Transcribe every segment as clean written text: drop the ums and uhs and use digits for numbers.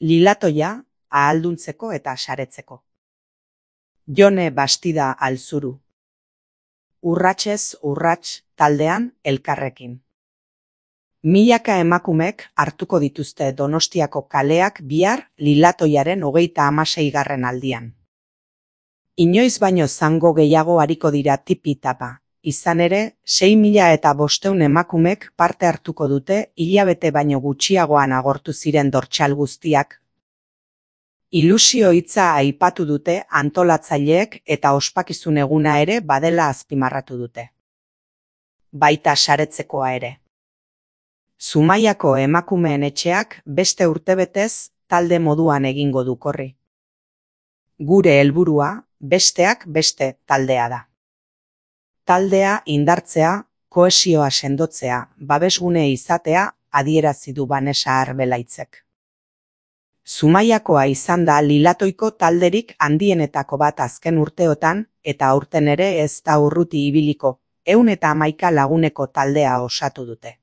Lilatoia, ahalduntzeko eta saretzeko. Jone Bastida Alzuru. Urratsez urrats taldean elkarrekin. Milaka emakumek hartuko dituzte Donostiako kaleak bihar Lilatoiaren 36. aldian. Inoiz baino zango gehiago ariko dira tipi-tapa. Izan ere, 6.500 emakumek parte hartuko dute hilabete baino gutxiagoan agortu ziren dortsal guztiak. Ilusio hitza aipatu dute antolatzaileek eta ospakizun eguna ere badela azpimarratu dute. Baita saretzekoa ere. Zumaiako emakumeen etxeak beste urtebetez talde moduan egingo du korri. Gure helburua besteak beste taldea da. Taldea indartzea, kohesioa sendotzea, babesgune izatea adierazi du Vanessa Arbelaitzek. Zumaiakoa izan da Lilatoiko talderik handienetako bat azken urteotan eta aurten ere ez da urruti ibiliko, 111 laguneko taldea osatu dute.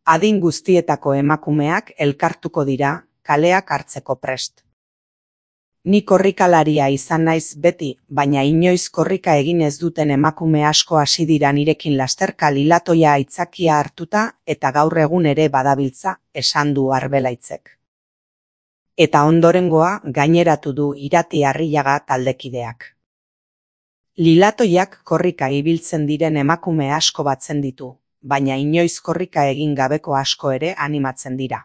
Adin guztietako emakumeak elkartuko dira, kaleak hartzeko prest. Ni korrikalaria izan naiz beti, baina inoiz korrika egin ez duten emakume asko hasi dira nirekin lasterka Lilatoia aitzakia hartuta eta gaur egun ere badabiltza, esan du Arbelaitzek. Eta ondorengoa gaineratu du Irati Arrillaga taldekideak. Lilatoiak korrika ibiltzen diren emakume asko batzen ditu, baina inoiz korrika egin gabeko asko ere animatzen dira.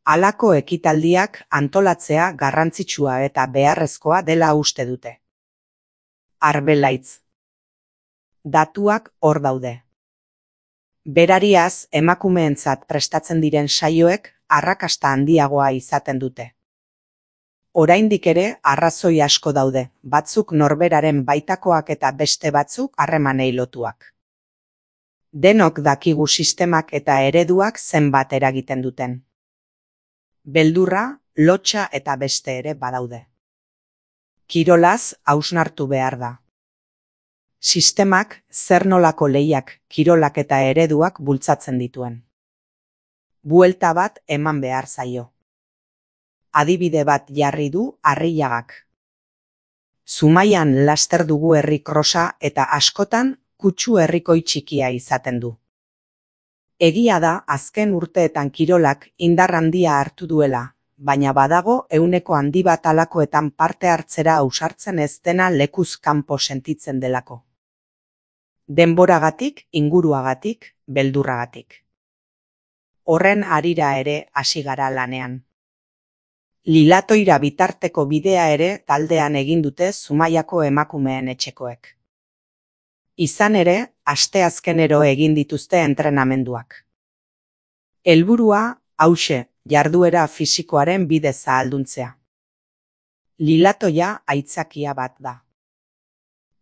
Halako ekitaldiak antolatzea garrantzitsua eta beharrezkoa dela uste dute. Arbelaitz. Datuak hor daude. Berariaz, emakumeentzat prestatzen diren saioek arrakasta handiagoa izaten dute. Oraindik ere arrazoi asko daude, batzuk norberaren baitakoak eta beste batzuk harremanei lotuak. Denok dakigu sistemak eta ereduak zenbat eragiten duten. Beldurra, lotsa eta beste ere badaude. Kirolaz hausnartu behar da. Sistemak zer nolako lehiak, kirolak eta ereduak bultzatzen dituen. Buelta bat eman behar zaio. Adibide bat jarri du Arrillagak. Zumaian laster dugu herri krosa eta askotan kutsu herrikoi txikia izaten du. Egia da azken urteetan kirolak indar handia hartu duela, baina badago 100 handi bat alakoetan parte hartzera ausartzen ez dena lekuz kanpo sentitzen delako. Denboragatik, inguruagatik, beldurragatik. Horren harira ere hasi gara lanean. Lilatoira bitarteko bidea ere taldean egin dute Zumaiako emakumeen etxekoek. Izan ere, asteazkenero egin dituzte entrenamenduak. Helburua, hauxe, jarduera fisikoaren bidez ahalduntzea. Lilatoia aitzakia bat da.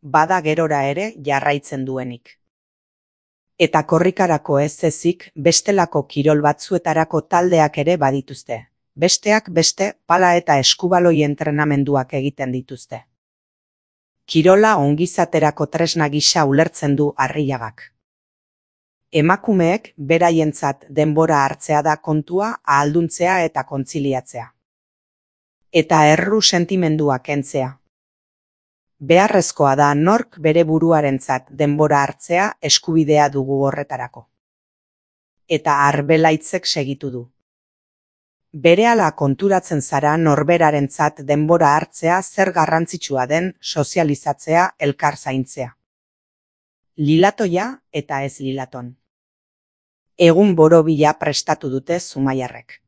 Bada gerora ere jarraitzen duenik. Eta korrikarako ez ezik bestelako kirol batzuetarako taldeak ere badituzte. Besteak beste pala eta eskubaloi entrenamenduak egiten dituzte. Kirola ongizaterako tresna gisa ulertzen du Arrillagak. Emakumeek beraientzat denbora hartzea da kontua ahalduntzea eta kontziliatzea. Eta erru sentimendua kentzea. Beharrezkoa da nork bere buruarentzat denbora hartzea eskubidea dugu horretarako. Eta Arbelaitzek segitu du. Berehala konturatzen zara norberarentzat denbora hartzea zer garrantzitsua den sozializatzea elkar zaintzea. Lilatoia eta ez Lilaton. Egun borobila prestatu dute zumaiarrek.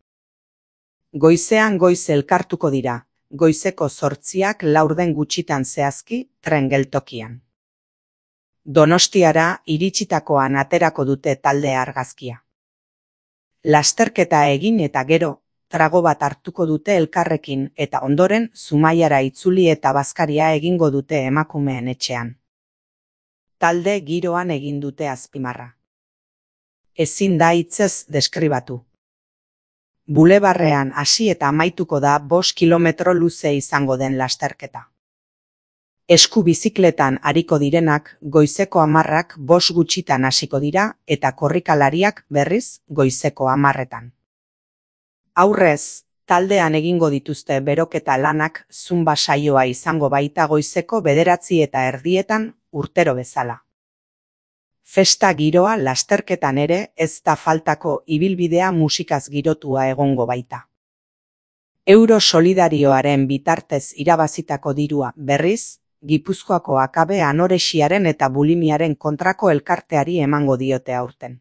Goizean goiz elkartuko dira, goizeko 8:00 laurden gutxitan zehazki tren geltokian. Donostiara iritsitakoan aterako dute talde argazkia. Lasterketa egin eta gero, trago bat hartuko dute elkarrekin eta ondoren Zumaiara itzuli eta bazkaria egingo dute emakumeen etxean. Talde giroan egin dute azpimarra. Ezin da hitzez deskribatu. Bulebarrean hasi eta amaituko da 5 kilometro luze izango den lasterketa. Esku bizikletan ariko direnak goizeko 10:00 5 gutxitan hasiko dira eta korrikalariak berriz goizeko 10:00. Aurrez, taldean egingo dituzte beroketa lanak zumba saioa izango baita goizeko 9:30 urtero bezala. Festa giroa lasterketan ere ez da faltako ibilbidea musikaz girotua egongo baita. Euro solidarioaren bitartez irabazitako dirua berriz, Gipuzkoako Akabe Anorexiaren eta Bulimiaren kontrako elkarteari emango diote aurten.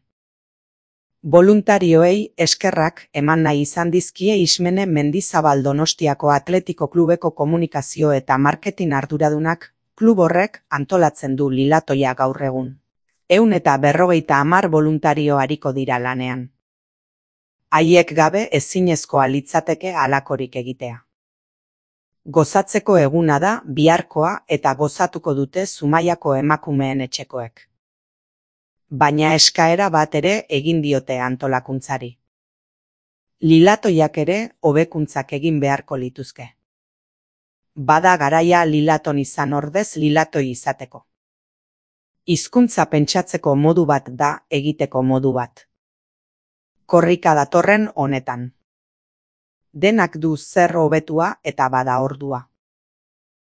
Boluntarioei eskerrak eman nahi izan dizkie Ismene Mendizabal Donostiako Atletiko Klubeko komunikazio eta marketing arduradunak, klub horrek antolatzen du lilatoia gaur egun. 150 boluntario ariko dira lanean. Haiek gabe ezinezkoa litzateke halakorik egitea. Gozatzeko eguna da biharkoa eta gozatuko dute Zumaiako emakumeen etxekoek. Baina eskaera bat ere egin diote antolakuntzari. Lilatoiak ere hobekuntzak egin beharko lituzke. Bada garaia lilaton izan ordez lilatoi izateko. Hizkuntza pentsatzeko modu bat da egiteko modu bat. Korrika datorren honetan. Denak du zer hobetua eta bada ordua.